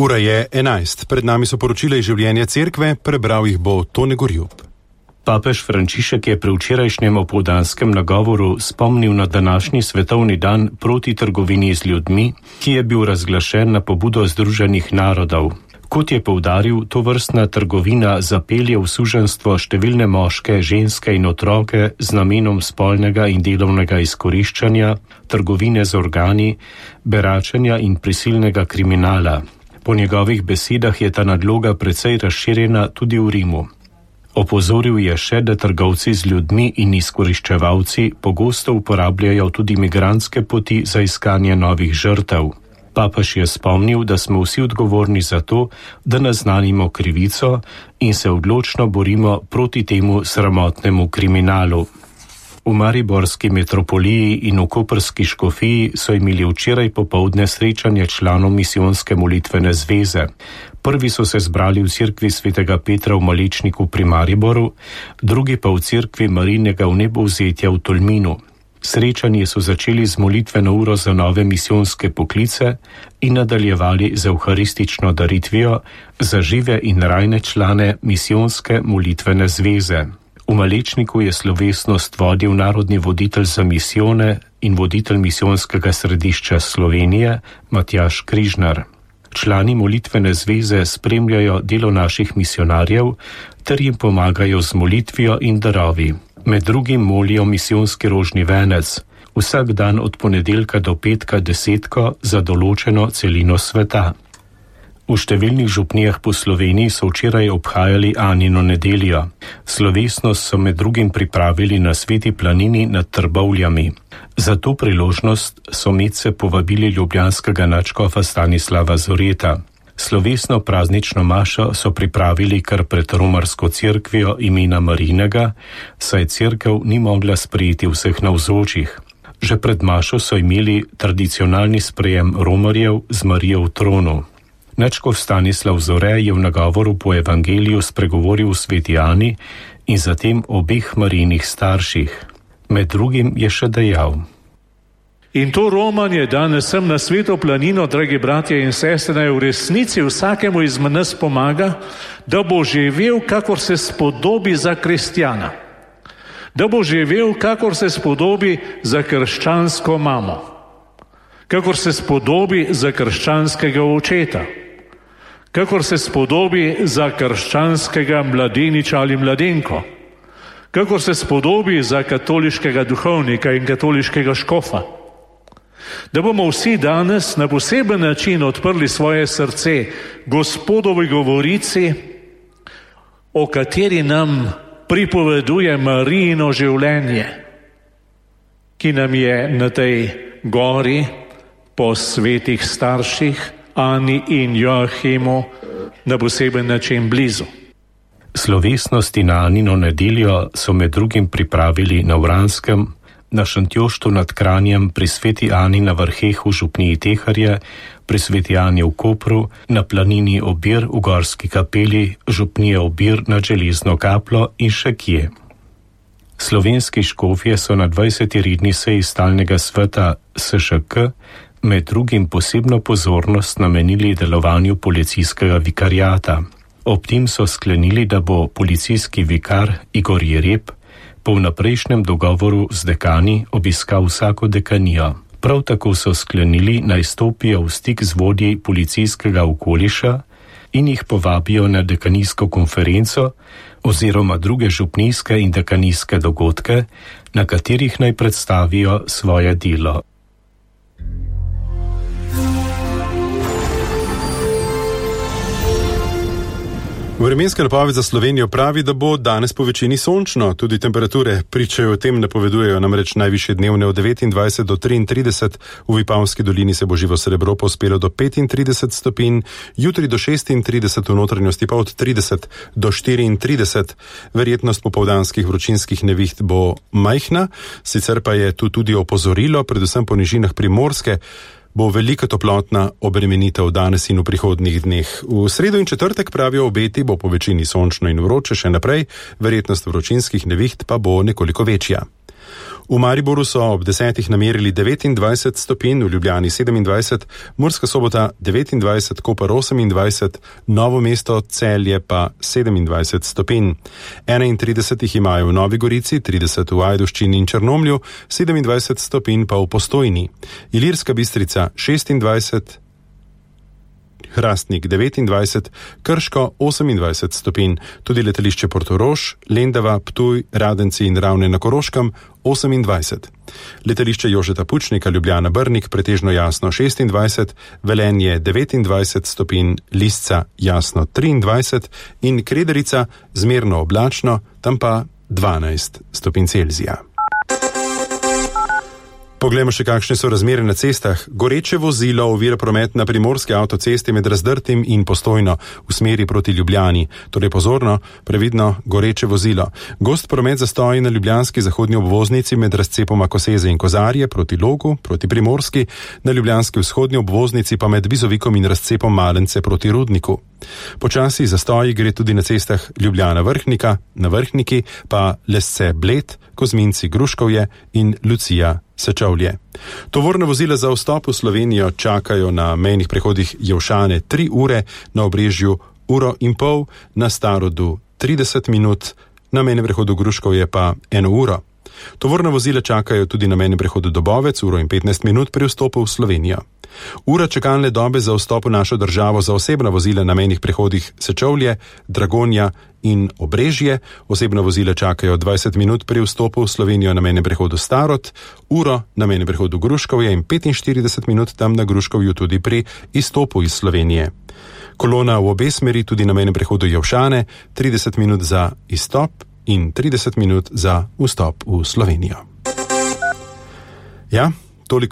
Ura je 11. Pred nami so poročila iz življenja cerkve, prebral jih bo Tone Gorjup. Papež Frančišek je pri včerajšnjem opoldanskem nagovoru spomnil na današnji svetovni dan proti trgovini z ljudmi, ki je bil razglašen na pobudo Združenih narodov. Kot je poudaril, tovrstna trgovina zapelje v suženjstvo številne moške, ženske in otroke z namenom spolnega in delovnega izkoriščanja, trgovine z organi, beračenja in prisilnega kriminala. Po njegovih besedah je ta nadloga precej razširjena tudi v Rimu. Opozoril je še, da trgovci z ljudmi in izkoriščevalci pogosto uporabljajo tudi migrantske poti za iskanje novih žrtev. Papež je spomnil, da smo vsi odgovorni za to, da naznanimo krivico in se odločno borimo proti temu sramotnemu kriminalu. V mariborski metropoliji in v koprski škofiji so imeli včeraj popoldne srečanje članov misijonske molitvene zveze. Prvi so se zbrali v cerkvi svetega Petra v Malečniku pri Mariboru, drugi pa v cerkvi Marijinega vnebovzetja v Tolminu. Srečanje so začeli z molitveno uro za nove misijonske poklice in nadaljevali z evharistično daritvijo za žive in rajne člane misijonske molitvene zveze. V Malečniku je slovesnost vodil narodni voditelj za misijone in voditelj misijonskega središča Slovenije Matjaž Križnar. Člani molitvene zveze spremljajo delo naših misionarjev ter jim pomagajo z molitvijo in darovi. Med drugim molijo misijonski rožni venec, vsak dan od ponedeljka do petka 10 za določeno celino sveta. V številnih župnijah po Sloveniji so včeraj obhajali Anino nedeljo. Slovesnost so med drugim pripravili na Sveti planini nad Trbovljami. Za to priložnost so medse povabili ljubljanskega nadškofa Stanislava Zoreta. Slovesno praznično mašo so pripravili kar pred romarsko cerkvijo imena Marijinega, saj cerkev ni mogla sprejeti vseh navzočih. Že pred mašo so imeli tradicionalni sprejem romarjev z Marijo v tronu. Nadškof Stanislav Zore je v nagovoru po evangeliju spregovoril v Sveti Ani in zatem obeh Marijinih starših. Med drugim je še dejal: In to romanje danes sem na Sveto planino, dragi bratje in sestre, naj v resnici vsakemu izmed nas pomaga, da bo živel, kakor se spodobi za kristjana. Da bo živel, kakor se spodobi za krščansko mamo. Kakor se spodobi za krščanskega očeta. Kakor se spodobi za krščanskega mladeniča ali mladenko. Kakor se spodobi za katoliškega duhovnika in katoliškega škofa. Da bomo vsi danes na poseben način odprli svoje srce Gospodovi govorici, o kateri nam pripoveduje Marijino življenje, ki nam je na tej gori po svetih starših Ani in Joachimu na poseben način blizu. Slovesnosti na Anino nedeljo so med drugim pripravili na Vranskem, na Šentjoštu nad Kranjem, pri Sveti Ani na Vrheh v župniji Teharje, pri Sveti Ani v Kopru, na planini Obir v Gorski kapeli, župnije Obir nad Železno kapljo in še kje. Slovenski škofje so na 20. redni seji stalnega sveta SŠK med drugim posebno pozornost namenili delovanju policijskega vikariata. Ob tem so sklenili, da bo policijski vikar Igor Jereb po vnaprejšnjem dogovoru z dekani obiskal vsako dekanijo. Prav tako so sklenili, naj stopijo v stik z vodji policijskega okoliša in jih povabijo na dekanijsko konferenco oziroma druge župnijske in dekanijske dogodke, na katerih naj predstavijo svoje delo. Vremenska napoved za Slovenijo pravi, da bo danes po večini sončno. Tudi temperature pričajo o tem, napovedujejo namreč najvišje dnevne od 29 do 33. V Vipavski dolini se bo živo srebro pospelo do 35 stopinj, jutri do 36, v notranjosti pa od 30 do 34. Verjetnost popoldanskih vročinskih neviht bo majhna, sicer pa je tu tudi opozorilo, predvsem po nižinah Primorske, bo velika toplotna obremenitev danes in v prihodnjih dneh. V sredo in četrtek, pravijo obeti, bo po večini sončno in vroče še naprej, verjetnost vročinskih neviht pa bo nekoliko večja. V Mariboru so ob 10. namerili 29 stopinj, v Ljubljani 27, Murska Sobota 29, Koper 28, Novo mesto, Celje pa 27 stopinj. 31 jih imajo v Novi Gorici, 30 v Ajdovščini in Črnomlju, 27 stopinj pa v Postojni. Ilirska Bistrica 26, Hrastnik 29, Krško 28 stopinj, tudi letališče Portorož, Lendava, Ptuj, Radenci in Ravne na Koroškem 28. Letališče Jožeta Pučnika, Ljubljana Brnik pretežno jasno 26, Velenje 29 stopinj, Lisca jasno 23 in Krederica zmerno oblačno, tam pa 12 stopinj Celzija. Poglejmo še, kakšne so razmere na cestah. Goreče vozilo ovira promet na primorski avtocesti med Razdrtim in Postojno v smeri proti Ljubljani. Torej pozorno, previdno, goreče vozilo. Gost promet zastoji na ljubljanski zahodni obvoznici med razcepoma Koseze in Kozarje proti Logu, proti Primorski, na ljubljanski vzhodni obvoznici pa med Bizovikom in razcepom Malence proti Rudniku. Počasi zastoji gre tudi na cestah Ljubljana-Vrhnika, na Vrhniki pa Lesce Bled, Kozminci Gruškovje in Lucija Sečovlje. Tovorna vozila za vstop v Slovenijo čakajo na mejnih prehodih Jelšane 3 ure, na Obrežju 1,5 ure, na Starodu 30 minut, na mejnem prehodu Gruškovje pa 1 uro. Tovorna vozila čakajo tudi na mejnem prehodu Dobovec 1 uro in 15 minut pri vstopu v Slovenijo. Ura čakalne dobe za vstop v našo državo za osebna vozila na mejnih prehodih Sečovlje, Dragonja in Obrežje. Osebna vozila čakajo 20 minut pri vstopu v Slovenijo na mejnem prehodu Starod, uro na mejnem prehodu Gruškovje in 45 minut tam na Gruškovju tudi pri izstopu iz Slovenije. Kolona v obe smeri tudi na mejnem prehodu Jelšane, 30 minut za izstop in 30 minut za vstop v Slovenijo. Ja,